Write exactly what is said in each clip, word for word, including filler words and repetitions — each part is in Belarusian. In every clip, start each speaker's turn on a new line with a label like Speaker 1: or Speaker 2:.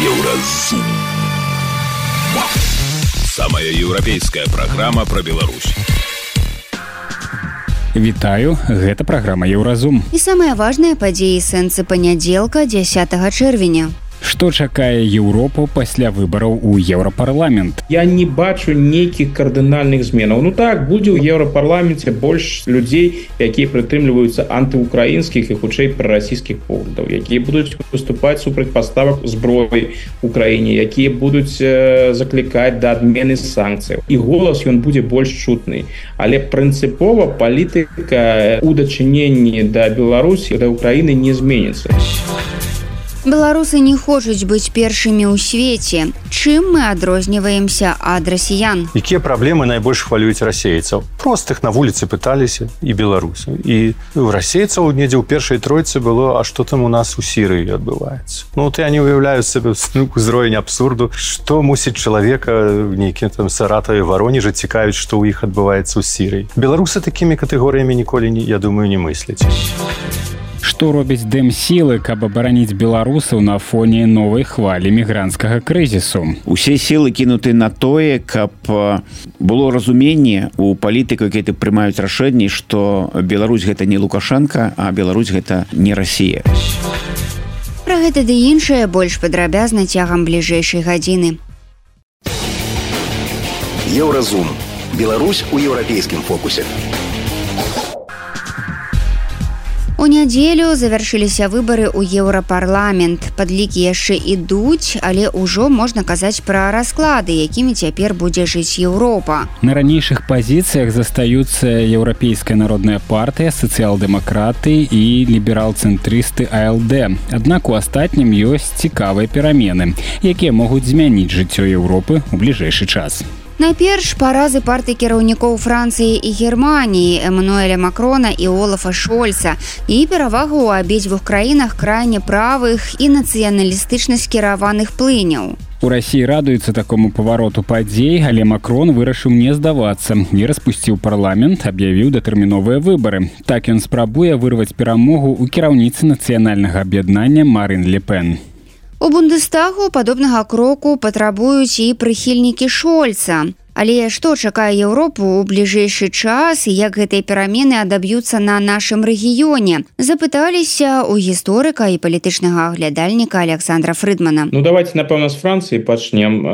Speaker 1: Еўразум. Самая еўрапейская праграма пра Беларусь.
Speaker 2: Вітаю, гэта праграма Еўразум.
Speaker 3: І самыя важныя падзеі сэнсы панядзелка дзясятага чэрвеня.
Speaker 2: Што чакае Еўропу пасля выбараў у Еўрапарламент?
Speaker 4: Я не бачу нейкіх кардынальных зменаў. Ну так, будзе ў Еўрапарламенце больш людзей, якія прытрымліваюцца антыукраінскіх і хутчэй прарасійскіх поглядаў, якія будуць выступаць супраць паставак зброі ў краіне, якія будуць э, заклікаць да адмены санкцыяў. І голас ён будзе больш чутны. Але прынцыпова палітыка ў дачыненні да Беларусі, да Украіны не зменіцца.
Speaker 3: Беларусы не хочуць быць першымі ў свеце. Чым мы адрозніваемся ад расіян?
Speaker 5: Якія праблемы найбольш хвалююць расейцаў? Простых на вуліцы пыталіся і беларусы. І у расейцаў недзе ў першай тройцы было, а што там у нас у Сірыі адбываецца? Ну, вот я не уяўляю сабе узровень абсурду, што мусіць чалавека нейкім там Саратаве, Варонежы цікавіць, што ў іх адбываецца ў Сірыі. Беларусы такімі катэгорыямі ніколі, я думаю, не мысляць.
Speaker 2: Што робіць дэмсілы, каб абараніць беларусаў на фоне новай хвалі мігранцкага крызісу?
Speaker 6: Усе сілы кінуты на тое, каб было разуменне у палітыкаў, якія прымаюць рашэнні, што Беларусь гэта не Лукашенко, а Беларусь гэта не Расія.
Speaker 3: Пра гэта ды іншае больш падрабязна цягам бліжэйшай гадзіны.
Speaker 1: Еўразум. Беларусь у еўрапейскім фокусе.
Speaker 3: У нядзелю завяршыліся выбары ў Еўрапарламент. Падлікі яшчэ ідуць, але ўжо можна казаць пра расклады, якімі цяпер будзе жыць Еўропа.
Speaker 2: На ранейшых пазіцыях застаюцца Еўрапейская народная партыя, сацыял-дэмакраты і ліберал-цэнтрысты А Л Дэ. Аднак у астатнім ёсць цікавыя перамены, якія могуць змяніць жыццё Еўропы ў бліжэйшы час.
Speaker 3: Найперш паразы партый кіраўнікоў Францыі і Германіі, Эммануэля Макрона і Олафа Шольца, і перавагу ў абедзвюх краінах крайне правых і нацыяналістычна скіраваных плыняў.
Speaker 2: У Расіі радуюцца такому павароту падзей, але Макрон вырашыў не здавацца і распусціў парламент, аб'явіў датэрміновыя выбары. Так ён спрабуе вырваць перамогу ў кіраўніцы нацыянальнага аб'яднання Марин Ле Пен.
Speaker 3: У Бундестагу падобнага кроку патрабуюць і прыхільнікі Шольца. Але што чакае Еўропу ў бліжэйшы час і як гэтыя перамены адаб'юцца на нашым рэгіёне? Запыталіся ў гісторыка і палітычнага аглядальніка Александра Фрыдмана.
Speaker 4: Ну, давайте, напэўна, з Францыі пачнем.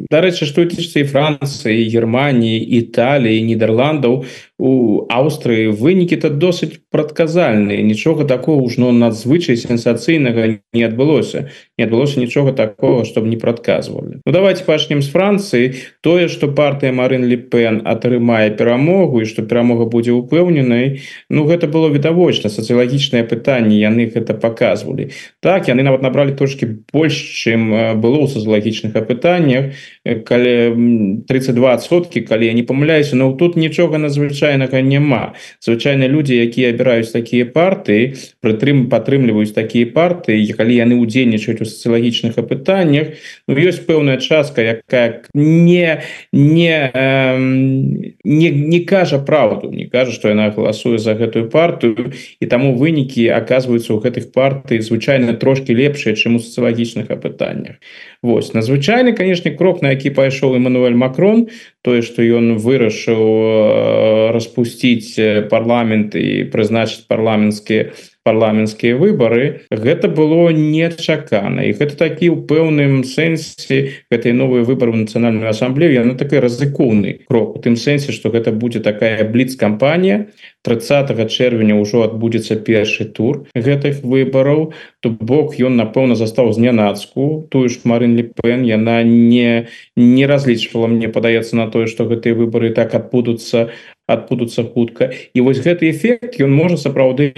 Speaker 4: Дарэчы, што тычыцца і Францыі, і Германіі, Італіі, Нідерландаў, у Аўстрыі вынікі-то досыць прадказальныя. Нічога такого ўж ну, надзвычай сенсацыйнага не адбылося. Не адбылося нічога такого, што б не прадказвалі. Ну, давайте пачнем з Францыі. Тое, што партыя Марин Ле Пен атрымае перамогу і што перамога будзе упэўненай, ну, гэта было відавочна. Сацыялагічнае пытанне, яны гэта паказвалі. Так, яны нават набралі трошкі больш, чым было ў сацыялагічных апытаннях, калі тридцать два адсоткі, калі я не памыляюся, но тут нічога надзвычайнага няма. Звычайна людзі, якія абіраюць такія партыі, прытрым падтрымліваюць такія партыі, калі яны ўдзельнічаюць у сацыялагічных апытаннях, ну, ёсць пэўная частка, якая не не, э, не, не кажа правду, не кажа, што яна галасуе за гэтую партыю, і таму вынікі аказваюцца ў гэтых партый звычайна трошкі лепшыя, чым у сацыялагічных апытаннях. Вось, надзвычайны, канешне, крок, на які пайшоў Эммануэль Макрон, тое, што ён вырашыў распусціць парламент і прызначыць парламенцкія парламенцкія выбары, гэта было нечакана. І гэта такі ў пэўным сэнсе гэтай новыя выбары ў нацыянальную асамблею, яна такой рызыкоўны крок, у тым сэнсе, што гэта будзе такая бліц-кампанія. тридцатага чэрвеня ўжо адбудзецца першы тур гэтых выбараў, то бок ён, напэўна, застаў знянацку. Тую ж Марин Ле Пен, яна не, не разлічвала, мне падаецца, на тое, што гэтыя выбары так адбудуцца адбудуцца хутка. І вось гэты эфект, ён можа сапраўды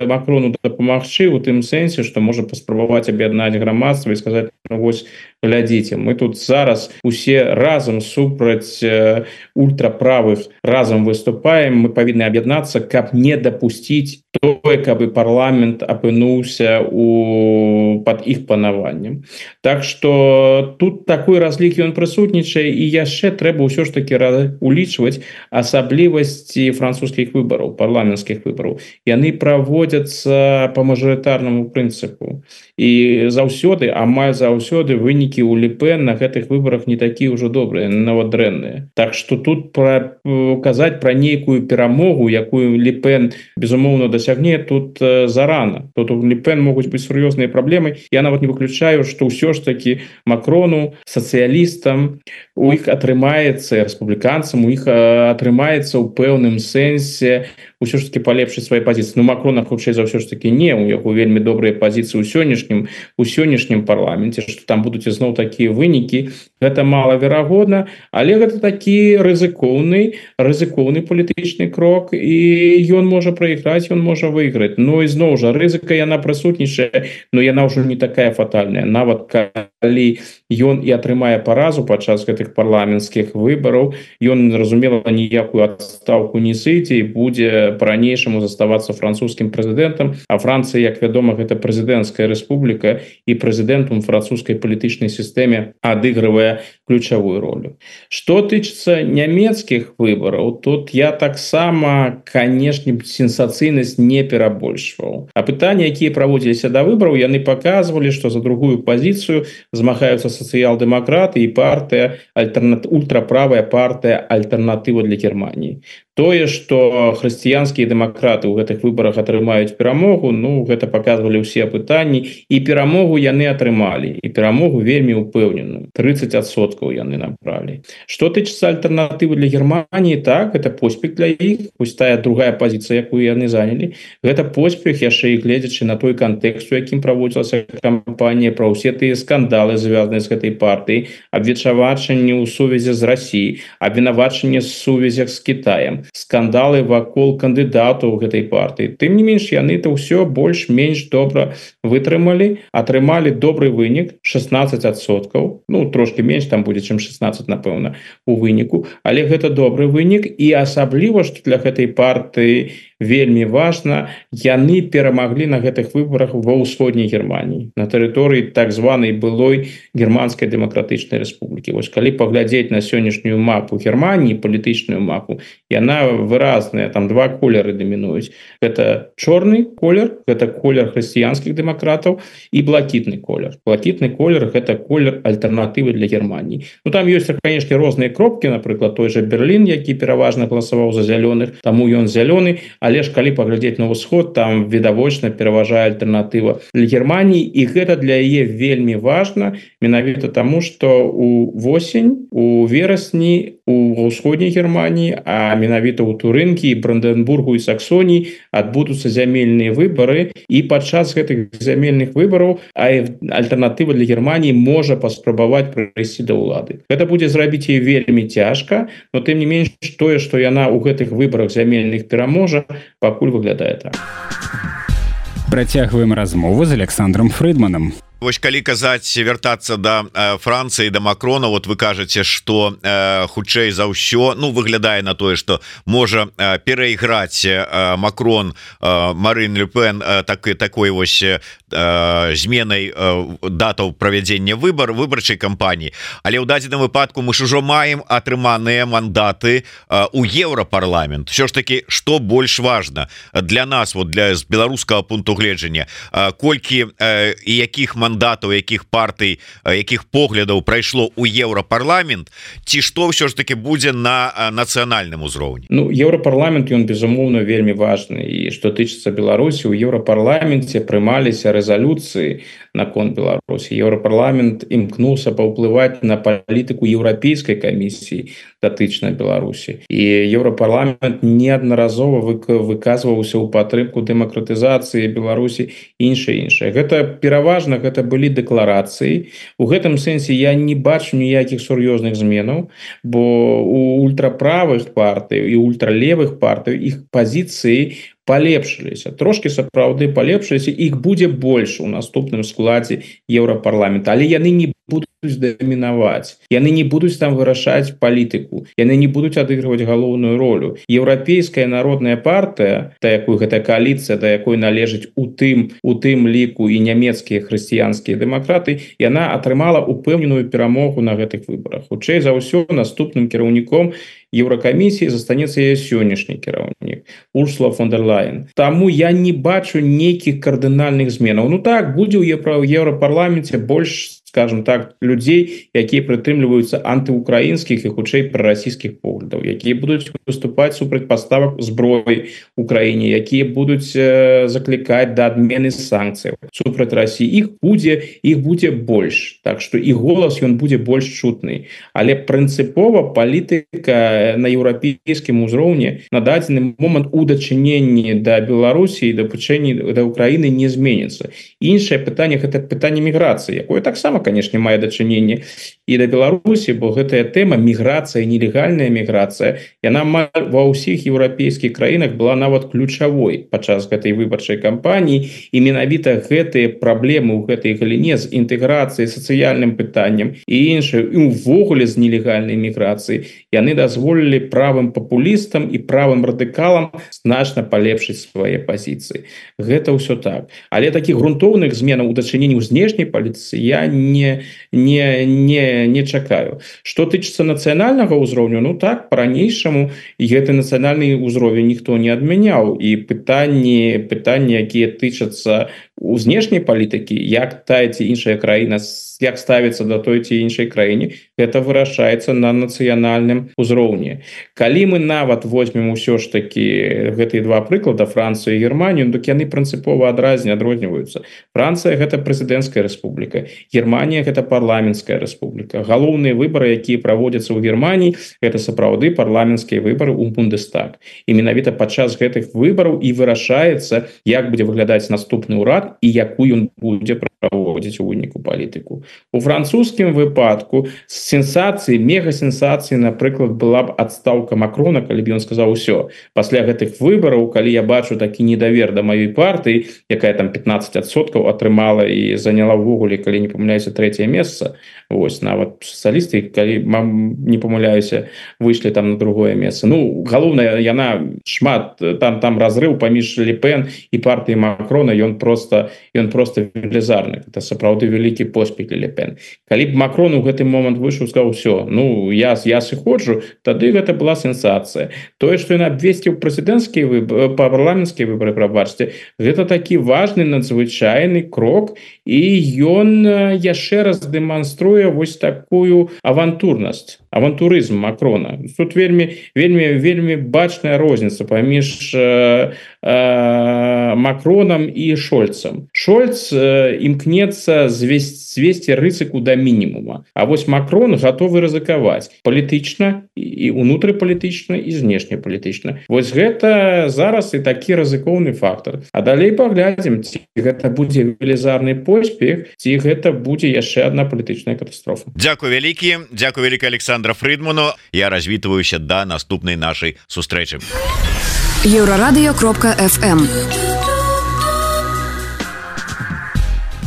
Speaker 4: Макрону дапамагчы ў тым сэнсе, што можа паспрабаваць аб'яднаць грамадства і сказаць, ну, вось, глядзіце, мы тут зараз усе разам супраць э, ультраправых разам выступаем, мы павінны аб'яднацца, каб не дапусціць тое, каб парламент апынуўся у пад іх панаваннем. Так што тут такой разлік ён прысутнічае, і яшчэ трэба ўсё ж такі улічваць асабліва асаблівасці французскіх выбараў, парламенцкіх выбараў. Яны праводзяцца по мажарытарнаму прынцыпу. І заўсёды, амаль заўсёды вынікі ў Ле Пен на гэтых выбарах не такія ўжо добрыя, нават дрэнныя. Так што тут пра, казаць пра нейкую перамогу, якую Ле Пен, безумоўна, дасягне, тут э, зарана. Тут у Ле Пен могуць быць сур'ёзныя праблемы. Я нават не выключаю, што ўсё ж таки Макрону, сацыялістам, у іх атрымаецца, рэспубліканцам, у іх атрымаецца ў пэўным сэнсе ўсё ж таки палепшыць свае пазіцыі. Ну, Макрона, хутчэй за ўсё ж таки не, у яго вельмі добрыя пазіцыі ў сённяшнім, у сённяшнім парламенце, што там будуць ізноў такія вынікі. Гэта малаверагодна, але гэта такі рызыкоўны, рызыкоўны палітычны крок, і ён можа прайграць, ён можа выйграць. Ну, і зноў жа, рызыка яна прысутнічае, но яна ўжо не такая фатальная. Нават калі ён і атрымае паразу падчас гэтых парламенцкіх выбараў, ён, разумела, ніякую адстаўку не сыдзе і будзе по-ранейшаму заставацца французскім прэзідэнтам, а Францыя, як вядома, гэта прэзідэнцкая рэспубліка, і прэзідэнтам французскай палітычнай сістэме адыгрывае ключавую ролю. Што тычыцца нямецкіх выбараў, тут я таксама, канешне, сенсацыйнасць не перабольшваў. А пытанні, якія праводзіліся да выбараў, яны паказвалі, што за другую пазіцыю змагаюцца сацыял-дэмакраты і партыя, альтэрнат... ультраправая партыя «Альтэрнатыва для Германии». Тое, што хрысціянскія дэмакраты ў гэтых выбарах атрымаюць перамогу, ну, гэта паказвалі ўсе пытанні, і перамогу яны атрымалі, і перамогу вельмі ўпэўненую. тридцать адсоткаў яны набралі. Што тычыцца альтэрнатывы для Германии, так, гэта поспех для іх, пусть тая другая пазіцыя, якую яны занялі. Гэта поспех, яшчэ і гледзячы на той кантэкст, у якім праводзілася кампанія, пра ўсе тыя скандалы, звязаныя з гэтай партыяй, абвінавачанні ў сувязі з Расіяй, абвінавачанні з сувязях з Кітаем, скандалы вакол кандыдатаў гэтай партыі. Тым не менш, яны то ўсё больш-менш добра вытрымалі, атрымалі добры вынік, шестнадцать адсоткаў, ну, трошки менш, там будзе, чым шестнадцать, напэўна, у выніку, але гэта добры вынік, і асабліва, што для гэтай партыі вельмі важна, яны перамаглі на гэтых выбарах ва ўсходняй Германії, на тэрыторыі так званай былой Германскай дэмакратычнай рэспублікі. Вось калі паглядзець на сённяшнюю мапу Германії, палітычную мапу, яна выразная, там два колеры дамінуюць. Гэта чорны колер, гэта колер хрысціянскіх дэмакратаў, і блакітны колер. Блакітны колер — гэта колер альтэрнатывы для Германії. Ну, там ёсць, канешне, розныя кропкі, напрыклад, той же Берлін, які пераважна галасаваў за зялёных, таму ён зялёны, але ж калі паглядзець на ўсход, там відавочна пераважае альтэрнатыва для Германії, і гэта для яе вельмі важна, менавіта таму, што у восень, у верасні у ўсходняй Германії, а менавіта ў Турынкі, Бранденбургу і Саксоніі адбудуцца зямельныя выбары, і падчас гэтых зямельных выбараў альтэрнатыва для Германії можа паспрабаваць прыйсці да ўлады. Гэта будзе зрабіць яе вельмі цяжка, но тым не менш тое, што яна ў гэтых выбарах зямельных пераможа, пакуль выглядае так.
Speaker 2: Працягваем размову з Александром Фрыдманам.
Speaker 7: Вось калі казаць вяртацца да э, Францыі, да Макрона, вот вы кажаце, што э, хутчэй за ўсё, ну, выглядае на тое, што можа э, перайграць э, Макрон, э, Марин Ле Пен э, так, такой вось э, зменай э, датаў правядзення выбар выбарчай кампаніі. Але ў дадзеным выпадку мы ж ужо маем атрыманыя мандаты э, у Еўрапарламент. Усё ж таки, што больш важна для нас, вот для з беларускага пункту гледжання, э, колькі э, і якіх мандатаў мандатаў, якіх партый, якіх поглядаў прайшло ў Еўрапарламент, ці што ўсё ж таки будзе на нацыянальным узроўні?
Speaker 4: Ну, Еўрапарламент, ён, безумоўна, вельмі важны. І што тычыцца Беларусі, у Еўрапарламенце прымаліся рэзалюцыі наконт Беларусі. Еўрапарламент імкнуўся паўплываць на палітыку Еўрапейскай камісіі датычна Беларусі. І Еўрапарламент неаднаразова выказваўся ў падтрымку дэмакратызацыі Беларусі, іншае-іншае. Гэта пераважна, гэта былі дэкларацыі. У гэтым сэнсе я не бачу ніякіх сур'ёзных зменаў, бо у ультраправых партый і ультралевых партый іх пазіцыі палепшыліся, трошки сапраўды палепшыліся, іх будзе больш у наступным складзе Еўрапарламента, але яны не будуць дамінаваць, яны не будуць там вырашаць палітыку, яны не будуць адыгрываць галоўную ролю. Еўрапейская народная партыя, да якой гэта коаліцыя, да якой належыць у тым у тым ліку і нямецкія хрысціянскія дэмакраты, яна атрымала упэўненую перамогу на гэтых выбарах. Хутчэй за ўсё наступным кіраўніком Еўракамісіі застанецца яе сённяшні кіраўнік Урсула фон дер Лайен. Таму я не бачу нейкіх кардынальных зменаў. Ну так, будзе ў Еўрапарламенце больш, скажем так, людзей, якія прытрымліваюцца антыукраінскіх і хутчэй прарасійскіх поглядаў, якія будуць выступаць супраць паставак зброі ў краіне, якія будуць э, заклікаць да адмены санкцыяў супраць Расіі. Іх будзе, іх будзе больш. Так што і голас ён будзе больш чутны. Але прынцыпова палітыка на еўрапейскім узроўні на дадзены момант у дачыненні да Беларусі і да пачэнні да Украіны не зменіцца. Іншае пытанне гэта пытанне міграцыі, якое таксама, конечно, мае дачыненне і да Беларусі, бо гэтая тэма міграцыя, нелегальная міграцыя, яна ва ўсіх еўрапейскіх краінах была нават ключавой падчас гэтай выбарчай кампаніі, і менавіта гэтыя праблемы ў гэтай галіне з інтэграцыяй, сацыяльным пытаннем і іншае, і ўвогуле з нелегальнай міграцыяй, яны дазволілі правым папулістам і правым радыкалам значна палепшыць свае пазіцыі. Гэта ўсё так. Але такіх грунтоўных зменаў у дачыненні ў знешняй палітыцы я не, не, не, не чакаю. Што тычыцца нацыянальнага ўзроўню, ну так, па-ранейшаму гэты нацыянальны ўзровень ніхто не адмяняў. І пытанні, пытанні, якія тычацца у знешняй палітыкі, як тая ці іншая краіна, як ставіцца да той ці іншай краіне, гэта вырашаецца на нацыянальным узроўні. Калі мы нават возьмем усё ж такі гэтыя два прыклада, Францыю і Германію, дык яны прынцыпова адразне адрозніваюцца. Францыя гэта прэзідэнцкая рэспубліка, Германія гэта парламенцкая рэспубліка. Галоўныя выбары, якія праводзяцца ў Германіі, гэта сапраўды парламенцкія выбары ў Бундестаг. І менавіта падчас гэтых выбараў і вырашаецца, як будзе выглядаць наступны ўрад і якую ён будзе праводзіць у выніку палітыку. У французскім выпадку сенсацыі, мегасенсацыі, напрыклад, была б адстаўка Макрона, калі б ён сказаў усё. Пасля гэтых выбараў, калі я бачу такі недавер да маёй партыі, якая там пятнаццаць адсоткаў атрымала і заняла ўвогуле, калі не памыляюся, трэцяе месца, вось, нават сацыялісты, калі не памыляюся, выйшлі там на другое месца. Ну, галоўнае, яна шмат, там, там разрыв паміж Ле Пен і партыяй Макрона, ён просто, ён просто велізарны. Это сапраўды вялікі поспех Ле Пен. Калі б Макрон у гэты момант выйшаў, сказаў, все, ну, я, я сыходжу, тады гэта была сенсацыя. Тое, што ён абвесціў прэзідэнцкія выборы, парламенцкія выборы, прабачце, гэта такі важны, надзвычайны крок, і ён яшчэ раз дэманструе вось такую авантурнасць, авантурызм Макрона. Тут вельмі, вельмі, вельмі бачная розніца паміж э, э, Макроном і Шольцам. Шольц э, імкнецца звесці, звесці рызыку да мінімума. А вось Макрон гатовы рызыкаваць палітычна, і унутрыпалітычна, і знешнепалітычна. Вось гэта зараз і такі рызыкоўны фактор. А далей паглядзім, ці гэта будзе велізарны поспех, ці гэта будзе яшчэ адна палітычная катастрофа.
Speaker 7: Дзякуй вялікі, дзякуй вялікі Александра Фридману. Я развітваюся да наступнай нашай сустрэчы.
Speaker 8: Еўрарадыё кропка эф эм.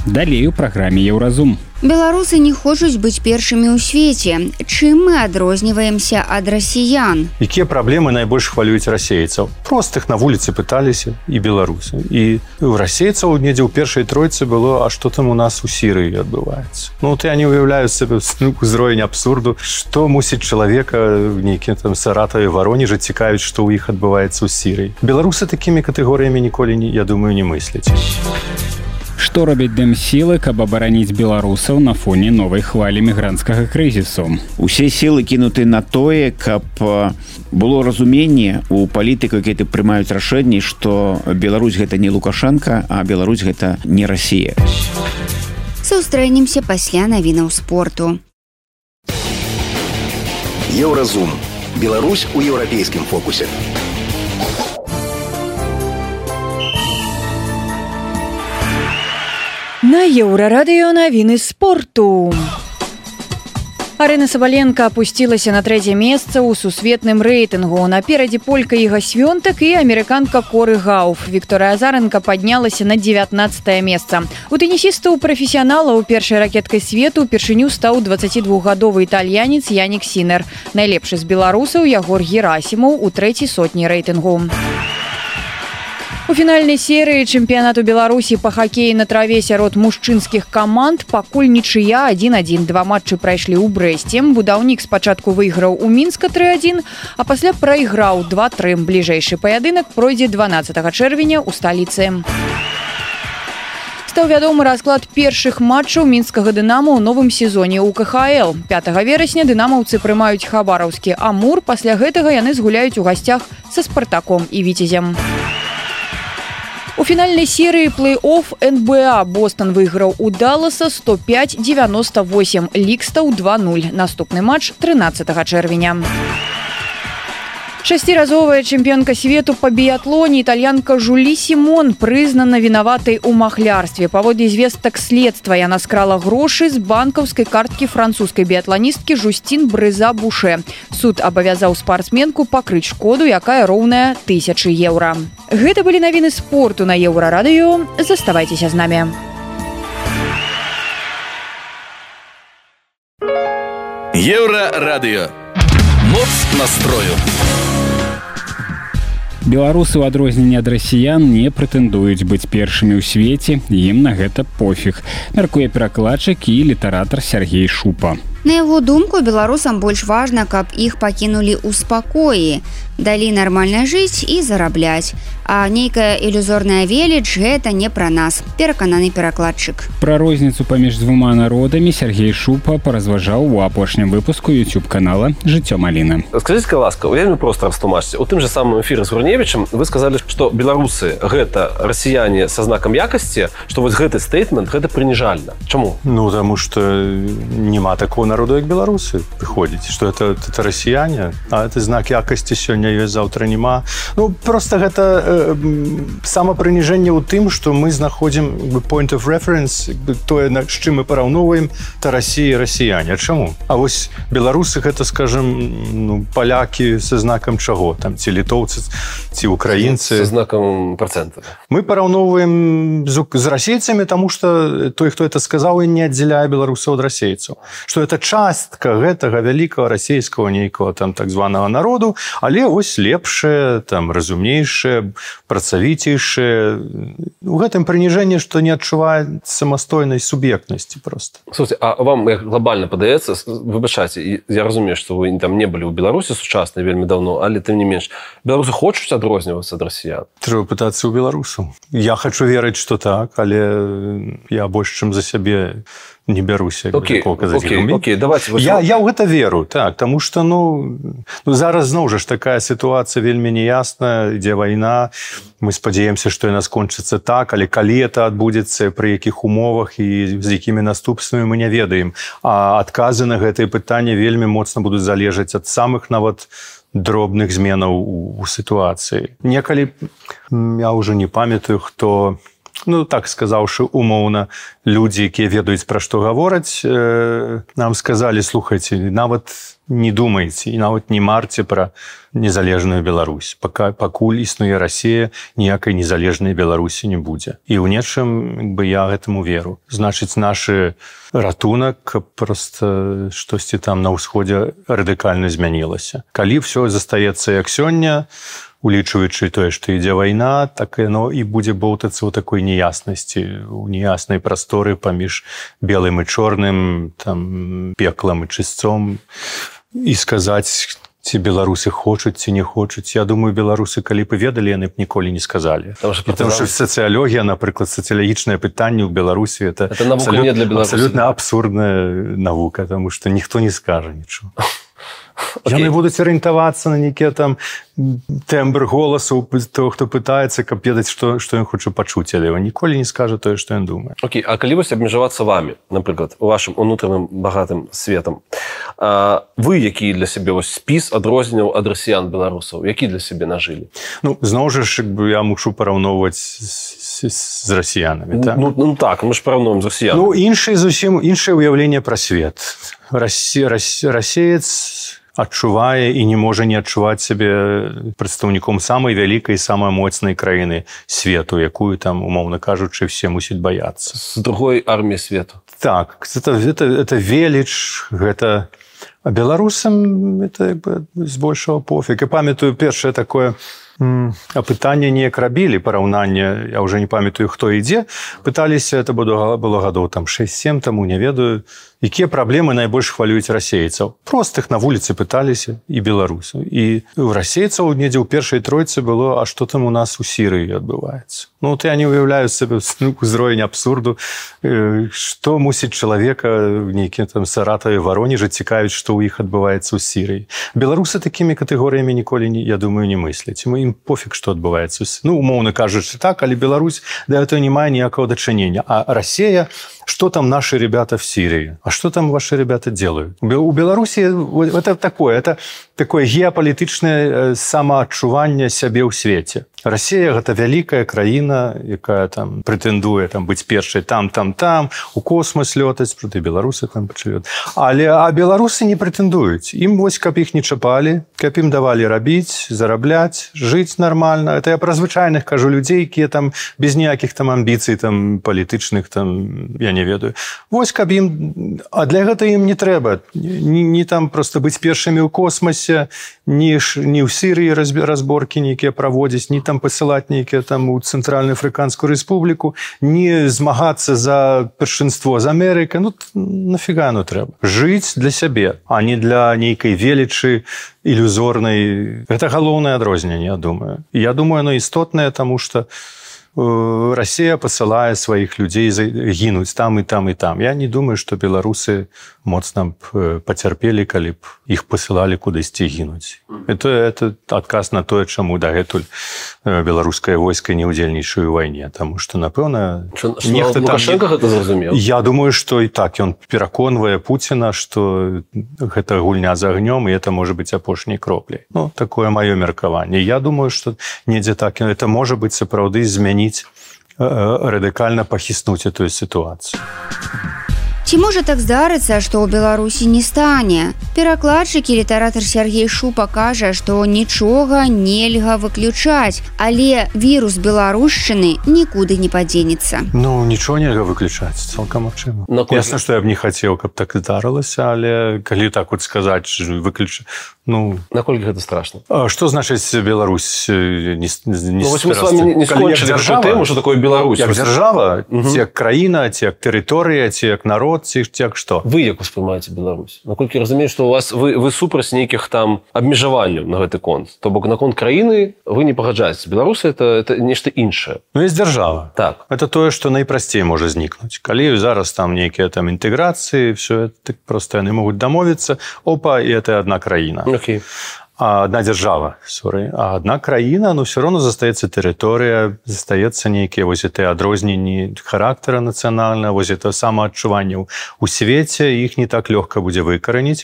Speaker 2: Далей у праграме Еўразум.
Speaker 3: Беларусы не хочуць быць першымі ў свеце. Чым мы адрозніваемся ад расіян?
Speaker 5: Якія праблемы найбольш хвалююць расейцаў? Простых на вуліцы пыталіся і беларусы. І у расейцаў недзе ў першай тройцы было, а што там у нас у Сірыі адбываецца? Ну, вот я не уяўляю сабе ўзровень абсурду, што мусіць чалавека нейкім там Саратаве, Варонежы цікавіць, што ў іх адбываецца ў Сірыі. Беларусы такімі катэгорыямі ніколі, я думаю, не мысляць.
Speaker 2: Што робяць дэмсілы, каб абараніць беларусаў на фоне новай хвалі мігранцкага крызісу?
Speaker 6: Усе сілы кінуты на тое, каб было разуменне у палітыкаў, якія прымаюць рашэнні, што Беларусь гэта не Лукашенко, а Беларусь гэта не Расія.
Speaker 3: Сустрэнемся пасля навінаў спорту.
Speaker 1: Еўразум. Беларусь у еўрапейскім фокусе.
Speaker 9: На Еўрарадыё навіны спорту. Арина Сабаленко опусцілася на трэцяе месца ў сусветным рэйтынгу. Наперадзе полька Іга Свёнтак і амерыканка Коры Гауф. Вікторыя Азаренко паднялася на дзевятнаццатае месца. У тэнісістаў прафесіяналаў першай ракеткай свету упершыню стаў дваццацідвухгадовы італьянец Янік Сінер. Найлепшы з беларусаў Ягор Герасімаў у трэцяй сотні рэйтынгу. У фінальнай серыі чэмпіянату Беларусі па хакеі на траве сярод мужчынскіх каманд пакуль нічыя адзін адзін. Два матчы прайшлі ў Брэсце. Будаўнік спачатку выйграў у Мінска тры адзін, а пасля прайграў два тры. Бліжэйшы паядынак пройдзе дванаццатага чэрвеня ў сталіцы. Стаў вядомы расклад першых матчаў мінскага «Дынама» ў новым сезоне ў ка ха эл. пятага верасня дынамаўцы прымаюць хабараўскі «Амур». Пасля гэтага яны згуляюць у гасцях са «Спартаком» і «Віцязем». У фінальнай серыі плэй-офф эн бэ а Бостон выйграў у Далласа сто пяць дзевяносто восемь, лік стаў два нуль. Наступны матч трынаццатага чэрвеня. Шасціразовая чэмпіёнка свету па біятлоне італьянка Жулі Сімон прызнана вінаватай у махлярстве. Паводле звестак следства яна скрала грошы з банкаўскай карткі французскай біятланісткі Жустін Брыза-Буше. Суд абавязаў спартсменку пакрыць шкоду, якая роўная тысячы еўра. Гэта былі навіны спорту на Еўрарадыё. Заставайцеся з намі.
Speaker 10: Еўрарадыё. Моц настрою.
Speaker 2: Беларусы, у адрозненне ад расіян, не прэтэндуюць быць першымі ў свеце, ім на гэта пофіг, мяркуе перакладчык і літаратар Сергей Шупа.
Speaker 3: На яго думку, беларусам больш важна, каб іх пакінулі ў спакоі, далі нармальна жыць і зарабляць. А нейкая ілюзорная веліч – гэта не пра нас, перакананы перакладчык.
Speaker 2: Пра розніцу паміж двума народамі Сергей Шупа паразважаў у апошнім выпуску YouTube-канала «Жыццё Маліна».
Speaker 11: Скажите, ласка, вельмі проста растлумачце. У тым же самым эфіры з Гурневічем вы сказалі, што беларусы – гэта расіяне са знакам якасці, што вось гэты стейтмент – гэта прыніжальна. Чаму?
Speaker 5: Ну, таму што няма такого народу, як беларусы, прыходзіць, што это, это расіяне, а это знак якасці сёння ёсць, заўтра няма. Ну, просто гэта э, самапрыніжэнне ў тым, што мы знаходзім point of reference, тое, з чым мы параўноўваем, то Расія і расіяне. А чаму? А вось беларусы гэта, скажем, ну, палякі са знакам чаго? Там, ці літоўцы, ці украінцы.
Speaker 11: Са знакам працэнта.
Speaker 5: Мы параўноўваем з, з расейцамі, таму што той, хто это сказаў, і не аддзяляе беларусаў ад расейцаў. Што это частка гэтага вялікага расейскага нейкага там так званага народу, але вось лепшае, там разумнейшае, працавіцейшае. У гэтым прыніжэнні, што не адчувае самастойнай суб'ектнасці проста.
Speaker 11: Слушайте, а вам як глобальна падаецца, выбачайце, я разумею, што вы там не былі ў Беларусі сучаснай вельмі даўно, але тым не менш, беларусы хочуць адрознівацца ад расіян?
Speaker 5: Трэба пытацца ў беларусаў. Я хачу верыць, што так, але я больш чым за сябе не бяруся.
Speaker 11: Окей, окей, окей, давайте.
Speaker 5: Я, я ў гэта веру, так, таму што, ну, ну, зараз зноў жа ж такая сітуацыя вельмі неясная, ідзе вайна, мы спадзяемся, што яна скончыцца так, але калі это адбудзецца, пры якіх умовах і з якімі наступствамі мы не ведаем. А адказы на гэтае пытанне вельмі моцна будуць залежаць ад самых нават дробных зменаў у, у сітуацыі. Некалі, я ўжо не памятаю, хто... Ну, так сказаўшы умоўна, людзі, якія ведаюць, пра што гавораць, э, нам сказалі, слухайце, нават не думайце і нават не марце пра незалежную Беларусь. Пака, пакуль існуе Расія, ніякай незалежнай Беларусі не будзе. І ў нечым бы я гэтаму веру. Значыць, нашы ратунак, каб проста штосьці там на ўсходзе радыкальна змянілася. Калі ўсё застаецца як сёння, улічваючы тое, што ідзе вайна, так яно і будзе боўтацца ў такой неяснасці, у неяснай прасторы паміж белым і чорным, там, пеклам і чысцом, і сказаць, ці беларусы хочуць, ці не хочуць. Я думаю, беларусы, калі б ведалі, яны б ніколі не сказалі. Потому што сацыялогія, напрыклад, сацыялагічнае пытанне ў Беларусі, это,
Speaker 11: это абсалютна,
Speaker 5: абсалютна абсурдная навука, таму што ніхто не скажа нічого. Okay. Яны будуць арыентавацца на нейкія там тэмбр голасу того, хто пытаецца, каб ведаць, што, што ён хоча пачуць, але ён ніколі не скажа тое, што ён думае.
Speaker 11: Окей, okay. А калі вось абмежавацца вамі, напрыклад, у вашым унутраным багатым светам, а вы які для сябе вось спіс адрозненняў ад расіян беларусаў, які для сябе нажылі?
Speaker 5: Ну, зноў жа, як бы я мушу параўноўваць з з расіянамі, так?
Speaker 11: Ну, ну так, мы ж параўнуем з расіянамі.
Speaker 5: Ну, іншае зусім іншае ўяўленне пра свет. Расі, рас, расеец адчувае і не можа не адчуваць сябе прадстаўніком самай вялікай, самай моцнай краіны свету, якую там, умоўна кажучы, все мусяць баяцца.
Speaker 11: З другой арміі свету.
Speaker 5: Так, это, это, это веліч, гэта... А беларусам это як бы збольшага пофіг. І памятаю першае такое апытанне неяк рабілі, параўнанне, я ўжо не памятаю, хто ідзе, пыталіся, это было, было гадоў там шэсць-сем таму, не ведаю, якія праблемы найбольш хвалююць расейцаў. Простых на вуліцы пыталіся і беларусаў. І у расейцаў недзе ў першай тройцы было, а што там у нас у Сірыі адбываецца. Ну, вот я не уяўляю сабе ўзровень абсурду, што мусіць чалавека в нейкім там Саратаве, Варонежы цікавіць, што ў іх адбываецца ў Сірыі. Беларусы такімі катэгорыямі ніколі, я думаю, не мысляць. Мы ім пофіг, што адбываецца. Ну, умоўна кажучы так, але Беларусь да этого не мае ніякого дачынення. А Россия, что там наши ребята в Сирии? А что там ваши ребята делают? У Беларуси это такое, это такое геополітычнае самаадчуванне сябе ў свеце. Россия гэта вялікая краіна, якая там прэтэндуе там быць першай там, там, там, у космос лётаць, проты беларусы там пачалёт. Але а беларусы не прэтэндуюць. Ім вось каб іх не чапалі, каб ім давалі рабіць, зарабляць, жыць нармальна. Это я пра звычайных кажу людзей, якія там без ніякіх там амбіцый там палітычных там, я не ведаю. Вось каб ім, а для гэта ім не трэба. Ні, ні там просто быць першымі ў космосе, ні, ні ў Сірыі разборкі нейкія праводзіць, ні там пасылаць нейкія там у Цэнтральную Афрыканскую Рэспубліку, не змагацца за першынство з Амерыкай. Ну, нафіга оно трэба? Жыць для сябе, а не для нейкай велічы ілюзорнай. Гэта галоўнае адрозненне, я думаю. І я думаю, оно істотнае, таму што Россия посылае сваіх людзей гінуць там і там і там. Я не думаю, што беларусы моцна б пацярпелі, калі б іх пасылалі кудысьці гінуць. Это, это адказ на тое, чаму дагэтуль беларускае войска не ўдзельнічае ў вайне. Таму што, напэўна...
Speaker 11: Лукашенко гэта зразумеў?
Speaker 5: Я думаю, што і так. Ён пераконвае Пуціна, што гэта гульня з агнём, і это можа быць апошняй кропляй. Ну, такое маё меркаванне. Я думаю, што недзе так. Это можа быць сапраўды змяніць радыкальна пахіснуць эту сітуацыю.
Speaker 3: Ці можа так здарыцца, што ў Беларусі не стане? Перакладчык і літаратар Сергей Шупа кажа, што нічога нельга выключаць, але вірус беларушчыны нікуды не падзенецца.
Speaker 5: Ну, нічога нельга выключаць, цалкам магчыма. Ясна, што я б не хацеў, каб так здарылася, але калі так вот сказаць, выключ... Ну,
Speaker 11: наколькі гэта страшно?
Speaker 5: А што значыць Беларусь не, не
Speaker 11: ну, вось мы с вами не скончылі тэму, што такое Беларусь.
Speaker 5: Як дзяржава, угу. Ці як краіна, ці як тэрыторыя, ці як народ, ці як што?
Speaker 11: Вы як успрымаеце Беларусь? Наколькі разумею, што у вас вы, вы супраць нейкіх там абмежаванняў на гэты конт. То бок наконт краіны вы не пагаджаеце. Беларусь это, это нешта іншае.
Speaker 5: Ну, есть дзяржава.
Speaker 11: Так.
Speaker 5: Это тое, што найпрасцей можа знікнуць. Калі зараз там нейкія там інтэграцыі, все это просто яны могуць дамовіцца, опа, і это адна краіна.
Speaker 11: Okay.
Speaker 5: А одна держава, sorry. А одна краіна, ну, все равно застаецца тэрыторыя, застаецца нейкія вось гэтыя адрозненні характара нацыянальнага, вось гэта самаадчуванне у свеце, іх не так лёгка будзе выкараніць.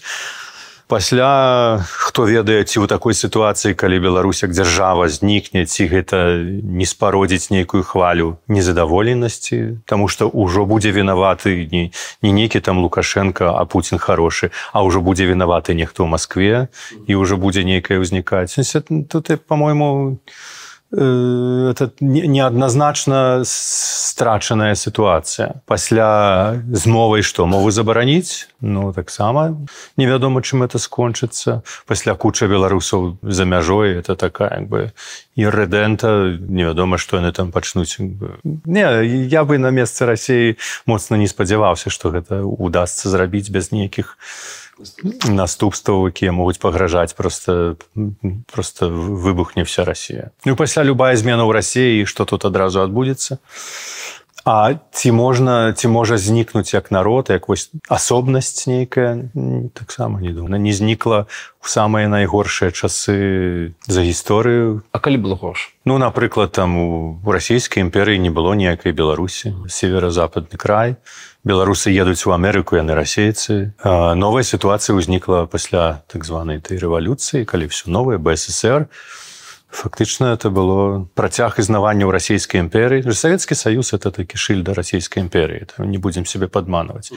Speaker 5: Пасля, хто ведае, ці ў такой сітуацыі, калі Беларусь як дзяржава знікне, ці гэта не спародзіць нейкую хвалю незадаволенасці, таму што ўжо будзе вінаваты не, не нейкі там Лукашенко, а Пуцін хорошы, а ўжо будзе вінаваты нехто ў Маскве, і ўжо будзе нейкае ўзнікаць. Тут, па-мойму, это неадназначна страчаная сітуацыя. Пасля змовай што, мову забараніць? Ну, таксама невядома, чым это скончыцца. Пасля куча беларусаў за мяжой, это такая, як бы, іррэдэнта, невядома, што яны там пачнуць. Не, я бы на месцы Расіі моцна не спадзяваўся, што гэта удасца зрабіць без нейкіх наступстваў, якія могуць пагражаць, просто, просто выбухне вся Расія. Ну, пасля любая змена ў Расіі, што тут адразу адбудзецца. А ці можна, ці можа знікнуць як народ, як вось асобнасць нейкая, таксама не думаю. Не знікла ў самыя найгоршыя часы за гісторыю.
Speaker 11: А калі было горш?
Speaker 5: Ну, напрыклад, там у расійскай імперыі не было ніякай Беларусі, северо-западны край. Беларусы едуць у Амерыку, яны расейцы. А новая сітуацыя ўзнікла пасля так званай той рэвалюцыі, калі все новае, бэ эс эс эр. Фактично это было працяг існавання ў расійскай імперыі. Савецкі Саюз это такі шыльда расійскай імперыі, не будзем себе падманваць.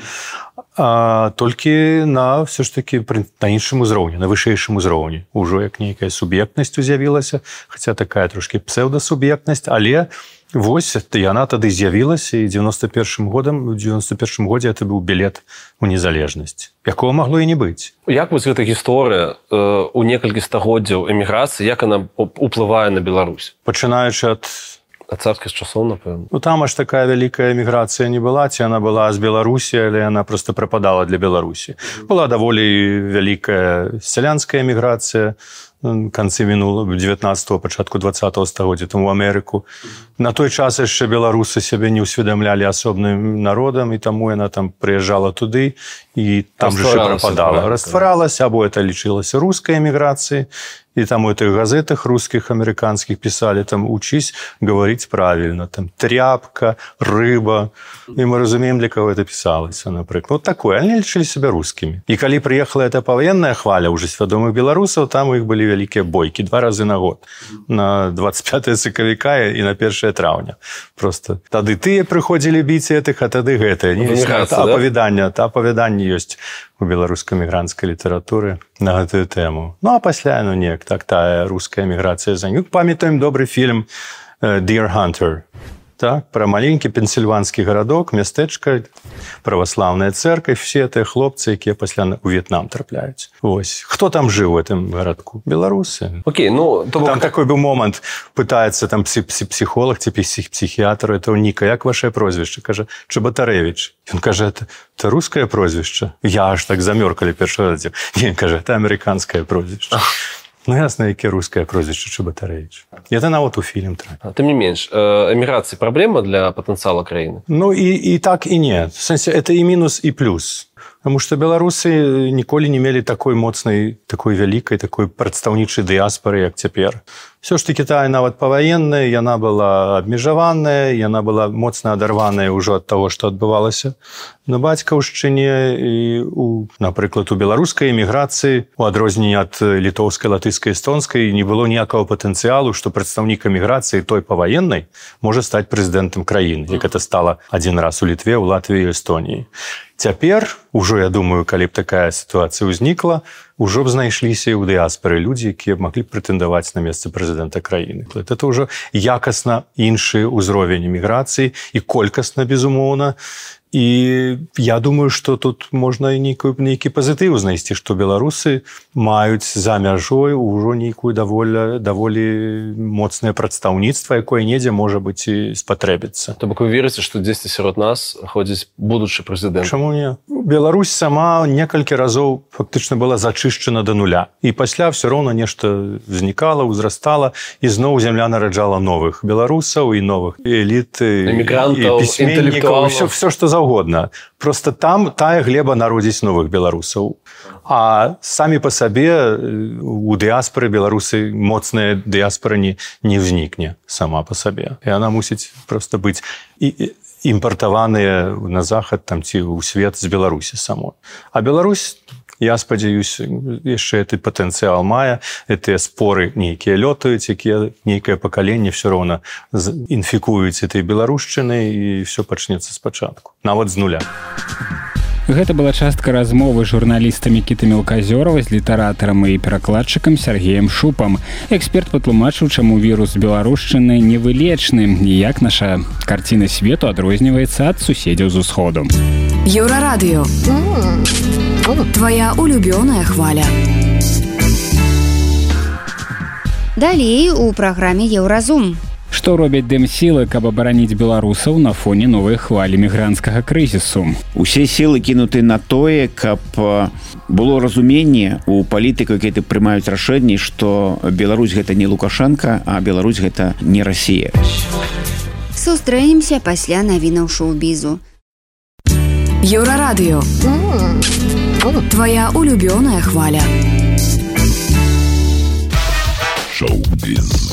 Speaker 5: А толькі на все ж таки на іншым узроўні, на вышэйшым узроўні. Ужо як нейкая суб'ектнасць з'явілася, хаця такая трошки псевдасуб'ектнасць, але вось яна тады з'явілася, і девяносто першым годам, у девяносто першым годзе это быў білет у незалежнасць, якого магло і не быць.
Speaker 11: Як вось гэта гісторыя э, у некалькі стагоддзяў эміграцыі, як она уплывае на Беларусь?
Speaker 5: Пачынаючы ад
Speaker 11: ад царскіх часоў, напэўна.
Speaker 5: Ну там аж такая вялікая эміграцыя не была, ці яна была з Беларусі, але яна просто прападала для Беларусі. Была даволі вялікая сялянская эміграцыя, канцы мінулого девятнадцатого, пачатку двадцатого стагоддзя там у Амерыку. На той час яшчэ беларусы сябе не ўсведамлялі асобным народам, і таму яна там прыязджала туды, і там же прападала. Растваралася, або это лічылася рускай эміграцыяй, і там у этих газетах русских, американских писали, там, учись говорить правильно, там, тряпка, рыба. И мы разумеем, для кого это писалось, например. Вот такое. Они лечили себя русскими. И когда приехала эта повоенная хваля уже свядомых белорусов, там у них были великие бойки два раза на год. На двадцать пятое сакавіка и на первое траўня. Просто тады тыя приходили бить этих, а тады гэтые. Апавяданне, да? Апавяданне есть у беларуска-мігрантскай літаратуры на гэтую тэму. Ну, а пасля, ну, неяк, так, тая руская міграцыя за ним. Памятаем добрый фильм «Deer Hunter». Так, про маленький пенсильванскі гарадок, мястэчка, праваслаўная церковь, все это хлопцы, якія пасля у В'етнам трапляюць. Ось. Хто там жыў у этом гарадку? Беларусы.
Speaker 11: Окей, ну... То
Speaker 5: там
Speaker 11: как...
Speaker 5: такой был момент, пытается там психолог, типа психиатр, это Ника, як ваше прозвище? Каже, Чеботаревич. Он каже, это, это русское прозвище? Я аж так замёркали перший раз. Не, каже, это американское прозвище. Ну, ясно, яке русское прозвище Чеботаревич. Это нават у фільм трапіў.
Speaker 11: Тым не менш, эміграцыя праблема для патэнцыяла краіны?
Speaker 5: Ну, і, і так, і не. В сэнсе, это і мінус, і плюс. Потому что беларусы ніколі не мелі такой моцнай, такой вялікай, такой прадстаўнічай дыяспоры, як цяпер. Все ж таки тая нават паваенная, яна была абмежаваная, яна была моцна адарваная ўжо ад таго, што адбывалася на бацькаўшчыне. І, у, напрыклад, у беларускай эміграцыі, у адрозненне ад літоўскай, латышскай, эстонскай, не было ніякага патэнцыялу, што прадстаўнік эміграцыі той паваеннай можа стаць прэзідэнтам краіны, як это стала адзін раз у Літве, у Латвіі і Эстоніі. Цяпер, ужо, я думаю, калі б такая сітуацыя ўзнікла, ужо б знайшліся і ў дыяспары людзі, якія маглі б прэтэндаваць на месца прэзідэнта краіны. Это ўжо якасна іншы ўзровень эміграцыі і колькасна, безумоўна. І я думаю, што тут можна нейкі, нейкі пазітыў знайсці, што беларусы маюць за мяжой ўжо нейкую даволі, даволі моцнае прадстаўніцтва, якое недзе можа быць і спатрэбіцца.
Speaker 11: То бок вы верыце, што дзесьці сярод нас ходзіць будучы прэзідэнт?
Speaker 5: Чаму не? Беларусь сама некалькі разоў фактычна была зачышчана да нуля. І пасля все роўна нешта знікала, узрастала, і зноў зямля нараджала новых беларусаў і новых эліт,
Speaker 11: эмігрантаў,
Speaker 5: пісьменнікаў, все, все, што за угодно. Просто там тая глеба народзіць новых беларусаў. А самі па сабе у дыяспоры беларусы моцная дыяспора не, не ўзнікне сама па сабе. І она мусіць просто быць і імпартаваныя на захад там, ці ў свет з Беларусі самой. А Беларусь, я спадзяюсь, яшчэ гэты патэнцыял мае, гэтыя споры нейкія лётаюць, якія нейкае пакаленне все роўна інфікуюць этой беларушчыны, і все пачнецца спачатку, нават з нуля.
Speaker 2: Гэта была частка размовы з журналістам Мікітай Мелказёравай, з літаратарам і перакладчыкам Сергеем Шупам. Эксперт патлумачыў, чаму вірус беларушчыны невылечны і як наша карціна свету адрозніваецца ад суседзяў з усходу.
Speaker 8: Еўрарадыё. Твоя улюбёная хваля.
Speaker 3: Далей у праграме Еўразум.
Speaker 2: Што робяць дэмсілы, каб абараніць беларусаў на фоне новай хвалі мігранцкага крызісу?
Speaker 6: Усе сілы кінуты на тое, каб было разуменне у палітыкаў, якія прымаюць рашэнні, што Беларусь гэта не Лукашенко, а Беларусь гэта не Расія.
Speaker 3: Сустрэнемся пасля навінаў шоу-бізу.
Speaker 8: Еўрарадыё. Твоя улюбёная хваля.
Speaker 10: Шоу-біз.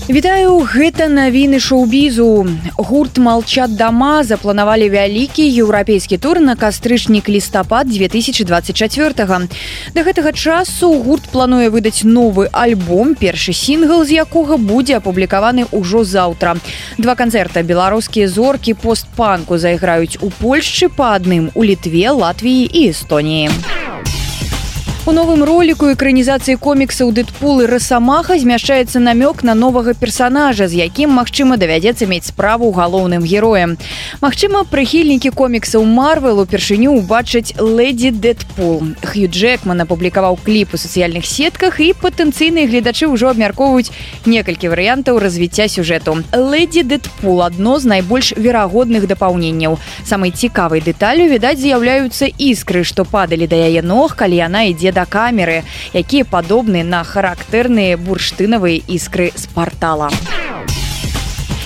Speaker 9: Вітаю, гэта навіны шоу-бізу. Гурт «Молчат дома» запланавалі вялікі еўрапейскі тур на кастрычнік-лістапад две тысячи двадцать четвёртага. Да гэтага часу гурт плануе выдаць новы альбом, першы сінгл з якога будзе апублікаваны ўжо заўтра. Два канцэрта беларускія зоркі пост-панку зайграюць у Польшчы, па адным у Літве, Латвіі і Эстоніі. У новым роліку экранізацыі коміксаў «Дэдпул» і «Расамаха» змяшчаецца намёк на новага персанажа, з якім, магчыма, давядзецца мець справу галоўным героем. Магчыма, прыхільнікі коміксаў «Марвел» упершыню убачаць «Лэдзі Дэдпул». Хью Джэкман апублікаваў кліп у сацыяльных сетках, і патэнцыйныя гледачы ўжо абмяркоўваюць некалькі варыянтаў развіцця сюжэту. «Лэдзі Дэдпул» – адно з найбольш верагодных дапаўненняў. Самай цікавай дэталю, відаць, з'яўляюцца іскры, што падалі да яе ног, калі яна ідзе да камеры, якія падобны на характэрныя бурштынавыя іскры з партала.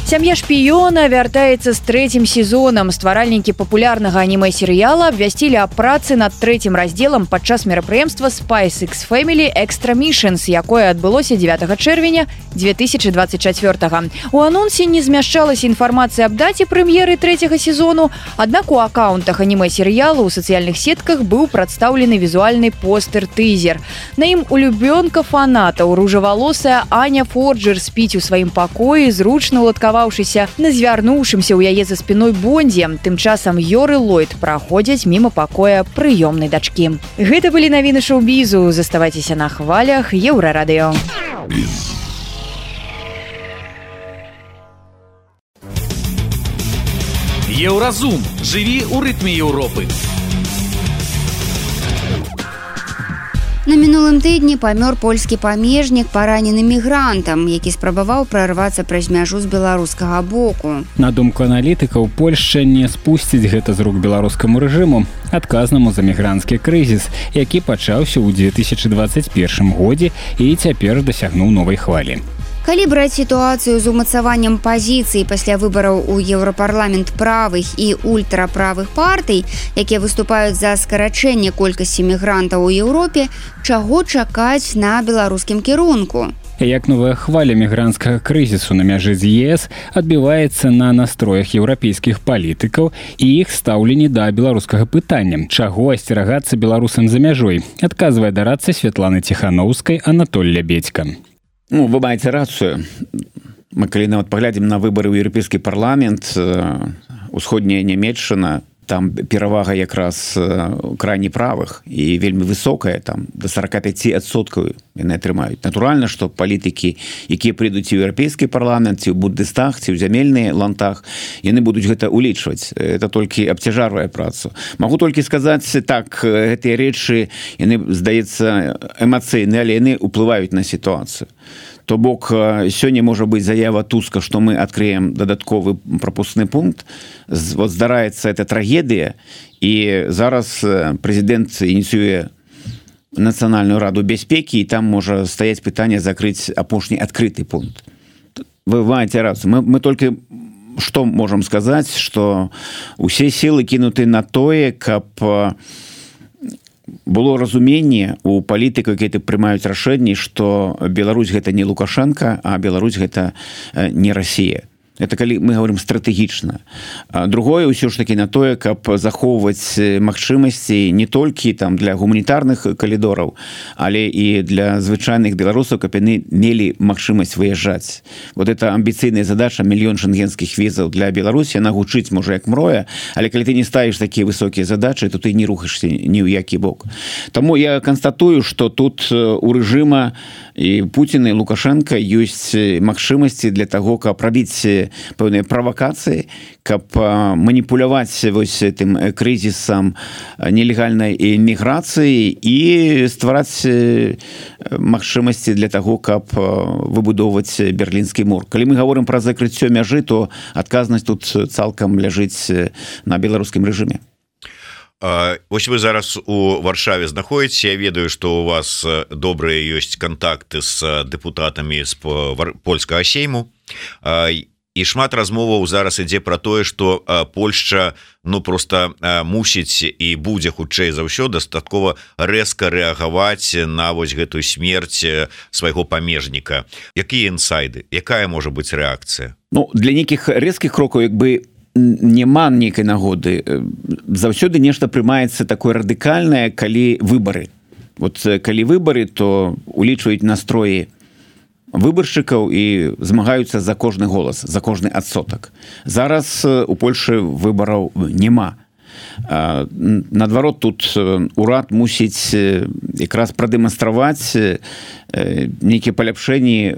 Speaker 9: Сям'я шпіёна вяртаецца з трэцім сезонам. Стваральнікі папулярнага анімэ-серыяла абвясцілі аб працы над трэцім раздзелам падчас мерапрыемства Spice X Family Extra Missions, якое адбылося дзевятага чэрвеня две тысячи двадцать четвёртага. У анонсе не змяшчалася інфармацыя аб даце прэм'еры трэцяга сезону, аднак у акаунтах анімэ-серыялу ў сацыяльных сетках быў прадстаўлены візуальны постэр-тызер. На ім улюбёнка фанатаў, ружавалосая Аня Форджер спіць у сваім пакоі, зручна уладкавана на звярнуўшымся ў яе за спіной Бондзе. Тым часам Ёр і Ллойд праходзяць міма пакоя прыёмнай дачкі. Гэта былі навіны шоу-бізу. Заставайцеся на хвалях Еўрарадыё.
Speaker 10: Еўразум. Жыві ў рытме Еўропы.
Speaker 3: На мінулым тыдні памёр польскі памежнік, паранены мігрантам, які спрабаваў прарвацца праз мяжу з беларускага боку.
Speaker 2: На думку аналітыкаў, Польшча не спусціць гэта з рук беларускаму рэжыму, адказнаму за мігранцкі крызіс, які пачаўся ў две тысячи двадцать першым годзе і цяпер дасягнуў новай хвалі.
Speaker 3: Калі браць сітуацыю з умацаваннем пазіцый пасля выбараў у Еўрапарламент правых і ультраправых партый, якія выступаюць за скарачэнне колькасці мігрантаў у Еўропе, чаго чакаць на беларускім кірунку?
Speaker 2: Як новая хваля мігранцкага крызісу на мяжы з ЕС адбіваецца на настроях еўрапейскіх палітыкаў і іх стаўленні да беларускага пытання, чаго асцерагацца беларусам за мяжой, адказвае дарадца Святланы Ціханаўскай Анатоль Лябедзька.
Speaker 6: Ну, вы маеце рацыю. Мы калі нават паглядзім на выбары ў еўрапейскі парламент, усходняя Нямецчына, там перавага якраз крайне правых і вельмі высокая, там до сорок пять адсоткаў яны атрымаюць. Натуральна, што палітыкі, якія прыйдуць у еўрапейскі парламент, ці ў Бундестаг, ці ў зямельны лантаг, яны будуць гэта улічваць. Это толькі абцяжарвае працу. Магу толькі сказаць, так, гэтыя рэчы, яны, здаецца, эмацыйныя, але яны ўплываюць на сітуацыю. То бок, сёння можа быць заява Туска, што мы адкрыем дадатковы прапускны пункт. Вот здараецца эта трагедыя, і зараз прэзідэнт ініцыюе Нацыянальную раду бяспекі, і там можа стаяць пытанне закрыць апошні адкрыты пункт. Вы маеце рацыю. Мы, мы толькі што можам сказаць, што усе сілы кінуты на тое, каб было разуменне у палітыкаў, якія прымаюць рашэнні, што Беларусь гэта не Лукашенко, а Беларусь гэта не Россия. Это калі мы говорим стратэгічна. Другое ўсё ж таки на тое, каб захоўваць магчымасці не толькі там для гуманітарных калідораў, але і для звычайных беларусаў, каб яны мелі магчымасць выязджаць. Вот это амбіцыйная задача, мільён шенгенскіх візаў для Беларусі, яна гучыць можа як мроя, але калі ты не ставіш такія высокія задачы, то ты не рухаешься ні ў які бок. Таму я канстатую, што тут у рэжыма і Пуціна і Лукашенко ёсць магчымасці для таго, каб рабіць пэўныя правакацыі, каб маніпуляваць вось тым крызісам нелегальнай міграцыі і ствараць магчымасці для таго, каб выбудоўваць берлінскі мур. Калі мы гаворым пра закрыццё мяжы, то адказнасць тут цалкам ляжыць на беларускім рэжыме.
Speaker 7: Вось вы зараз у Варшаве знаходзіце. Я ведаю, што у вас добрыя ёсць кантакты з дэпутатамі з польскага сейму. і шмат размоваў зараз ідзе пра тое, што Польшча ну просто мусіць і будзе хутчэй за ўсё дастаткова рэзка рэагаваць на вось гэтую смерць свайго памежніка. Якія інсайды, якая можа быць рэакцыя?
Speaker 6: Ну для нейкіх рэзкіх крокаў як бы няма нейкай нагоды. Заўсёды нешта прымаецца такое радыкальнае, калі выбары. Вот калі выбары, то улічваюць настроі выбаршчыкаў і змагаюцца за кожны голас, за кожны адсотак. Зараз у Польшы выбараў няма. Наадварот, тут урад мусіць якраз прадэманстраваць нейкія паляпшэнні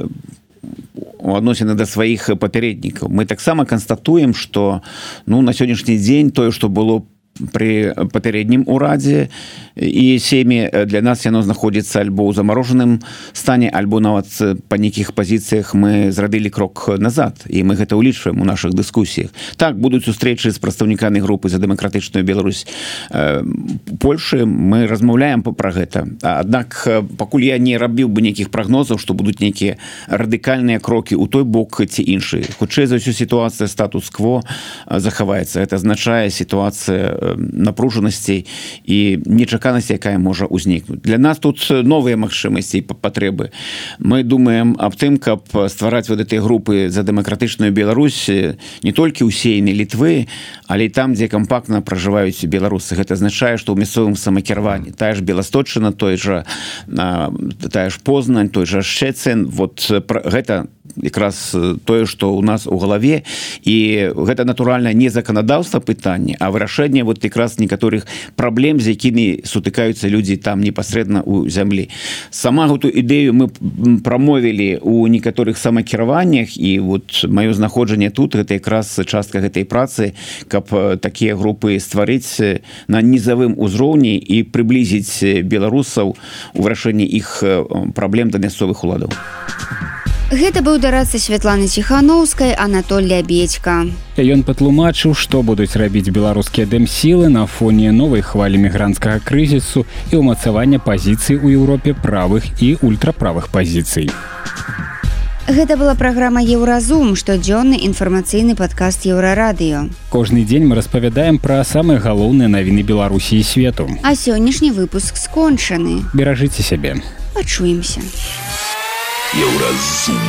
Speaker 6: у адносіны да сваіх папярэднікаў. Мы таксама канстатуем, што ну, на сённяшні дзень тое, што было при папярэднім урадзе і сем'і, для нас яно знаходзіцца альбо ў замарожаным стане, альбо нават па нейкіх пазіцыях мы зрабілі крок назад, і мы гэта ўлічваем у нашых дыскусіях. Так, будуць сустрэчы з прадстаўнікамі групы за дэмакратычную Беларусь Польшы, мы размаўляем пра гэта. Аднак пакуль я не рабіў бы нейкіх прагнозаў, што будуць нейкія радыкальныя крокі ў той бок ці іншы. Хутчэй за ўсё сітуацыя статус-кво захаваецца. Гэта азначае сітуацыя напружанасцей і нечаканасці, якая можа ўзнікнуць. Для нас тут новыя магчымасці і патрэбы. Мы думаем аб тым, каб ствараць вот гэтыя групы за дэмакратычную Беларусь не толькі ў сейны Літвы, але і там, дзе кампактна пражываюць беларусы. Гэта азначае, што ў мясцовым самакіраванні тая ж Беласточчына, той жа тая ж Познань, той жа Шчэцін, вот гэта якраз тое, што ў нас у галаве, і гэта натуральна не заканадаўства пытанне, а вырашэнне вот якраз некаторых праблем, з якімі сутыкаюцца людзі там непасрэдна ў зямлі. Сама гэту ідэю мы прамовілі ў некаторых самакіраваннях, і вот маё знаходжанне тут гэта якраз частка гэтай працы, каб такія групы стварыць на нізавым узроўні і прыблізіць беларусаў у вырашэнні іх праблем да мясцовых уладаў.
Speaker 3: Гэта быў дарадца Святланы Ціханаўскай Анатоль Лябедька.
Speaker 2: Ён патлумачыў, што будуць рабіць беларускія дэмсілы на фоне новай хвалі мігранцкага крызісу і ўмацавання пазіцый у Еўропе правых і ультраправых пазіцый.
Speaker 3: Гэта была праграма «Еўразум», штодзённы інфармацыйны падкаст Еўрарадыё.
Speaker 2: Кожны дзень мы распавядаем пра самыя галоўныя навіны Беларусі і свету.
Speaker 3: А сённяшні выпуск скончаны.
Speaker 2: Беражыце сябе.
Speaker 3: Пачуемся.
Speaker 10: Еўразум.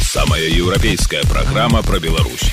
Speaker 10: Самая еўрапейская программа про Беларусь.